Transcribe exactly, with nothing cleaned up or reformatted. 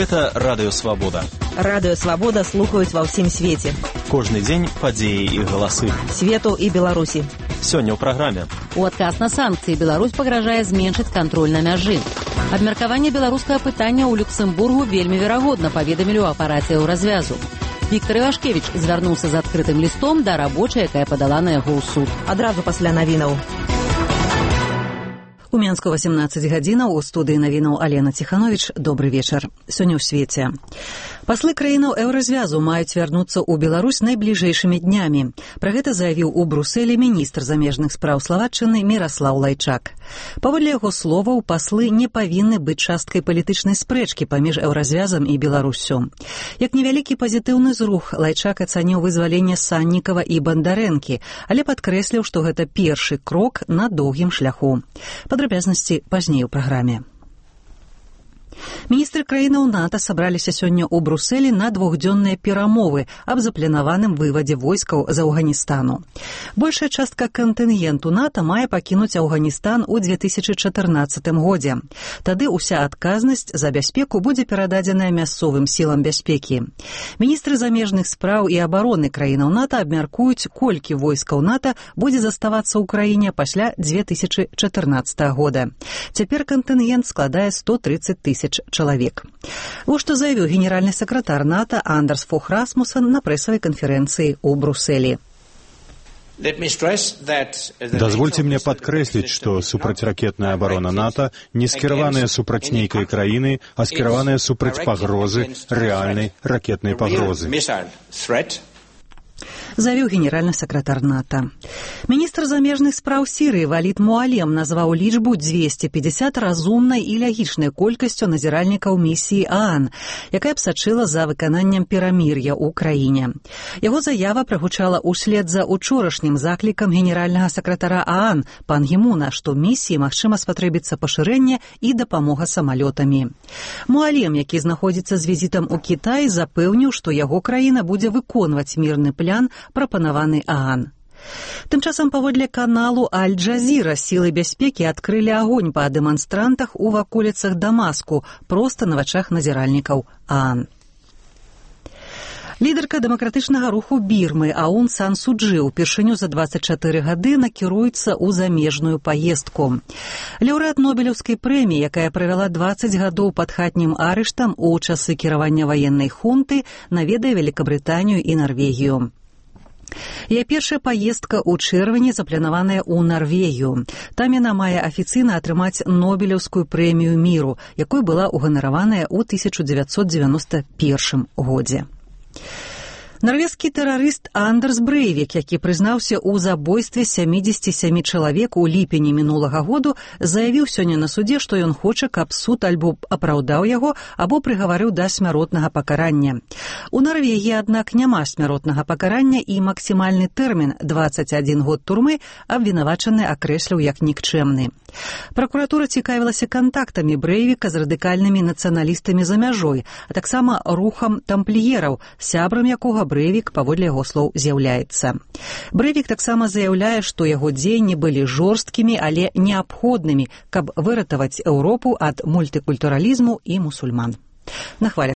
Гэта Радыё Свабода. Радыё Свабода слухаюць ва ўсім свеце. Кожны дзень падзеі і галасы. Свету і Беларусі. Сёння ў праграме. У адказ на санкцыі Беларусь пагражае зменшыць кантроль на мяжы. Абмеркаванне беларускага пытання ў Люксембургу вельмі верагодна, паведамілі ў апараце Еўразвязу. Віктор Івашкевіч звярнуўся з адкрытым лістом да рабочай, якая падала на яго ў суд. Адразу пасля навінаў. У Менску васемнаццаць гадзінаў, у студыі навінаў Алена Ціхановіч. Добры вечар. Сёння ў свеце. Паслы краінаў Еўразвязу маюць вярнуцца ў Беларусь найбліжэйшымі днямі. Пра гэта заявіў у Брусэлі міністр замежных спраў Славаччыны Міраслаў Лайчак. Паводле яго словаў, паслы не павінны быць часткай палітычнай спрэчкі паміж Еўразвязам і Беларуссю. Як невялікі пазітыўны зрух, Лайчак ацаніў вызваленне Саннікава і Бандарэнкі, але падкрэсліў, што гэта першы крок на доўгім шляху. Падрабязнасці пазней у праграме. Міністры краінаў НАТО сабраліся сёння ў Брусэлі на двухдзённыя перамовы аб запланаваным вывадзе войскаў з Афганістану. Большая частка кантынгенту НАТО мае пакінуць Афганістан у две тысячы чатырнаццатым годзе. Тады ўся адказнасць за бяспеку будзе перададзеная мясцовым сілам бяспекі. Міністры замежных спраў і абароны краінаў НАТО абмяркуюць, колькі войскаў НАТО будзе заставацца ў краіне пасля две тысячы чатырнаццатага года. Цяпер кантынгент складае сто трыццаць тысяч чалавек. Вось што заявіў генеральны сакратар НАТО Андерс Фох Расмуссен на прэсавай канферэнцыі ў Брусэлі. Дазвольце мне падкрэсліць, што супрацьракетная абарона НАТО не скіраваная супраць нейкай краіны, а скіраваная супраць пагрозы, рэальнай ракетнай пагрозы. Заявіў генеральны сакратар НАТО. Міністр замежных спраў Сірыі Валід Муалем назваў лічбу дзвесце пятьдесят разумнай і лягічнай колькасцю назіральнікаў місіі ААН, якая б сачыла за выкананнем перамір'я ў краіне. Яго заява прагучала ўслед за учорашнім заклікам генеральнага сакратара ААН пан Гімуна, што місіі магчыма спатрэбіцца пашырэнне і дапамога самалётамі. Муалем, які знаходзіцца з візітам у Кітаі, запэўніў, што яго краіна будзе выконваць мірны план, прапанаваны ААН. Тым часам паводле каналу Аль-Джазіра сілы бяспекі адкрылі агонь па дэманстрантах у ваколіцах Дамаску, проста на вачах назіральнікаў ААН. Лідарка дэмакратычнага руху Бірмы Аун Сан Су Чжы упершыню за дваццаць чатыры гады накіруецца ў замежную паездку. Лаўрэат Нобелеўскай прэміі, якая правяла дваццаць гадоў пад хатнім арыштам у часы кіравання ваеннай хунты, наведае Великабрытанію і Нарвегію. Яе першая паездка ў чэрвені запланаваная ў Нарвегію. Там яна мае афіцыйна атрымаць Нобелеўскую прэмію міру, якой была ўганараваная ў тысяча дзевяцьсот дзевяноста першым годзе. Нарвежскі тэрарыст Андерс Брэйвік, які прызнаўся ў забойстве сямідзесяці сямі чалавек у ліпені мінулага году, заявіў сёння на судзе, што ён хоча, каб суд альбо апраўдаў яго, або прыгаварыў да смяротнага пакарання. У Нарвегіі, аднак, няма смяротнага пакарання і максімальны тэрмін дваццаць адзін год турмы абвінавачаны акрэсліў як нікчэмны. Пракуратура цікавілася кантактамі Брэйвіка з радыкальнымі нацыяналістамі за мяжой, а таксама рухам тампліераў, сябрам якога Брэйвік, паводле яго слоў, з'яўляецца. Брэйвік таксама заяўляе, што яго дзеянні былі жорсткімі, але неабходнымі, каб выратаваць Еўропу ад мультыкультуралізму і мусульман. На хвалях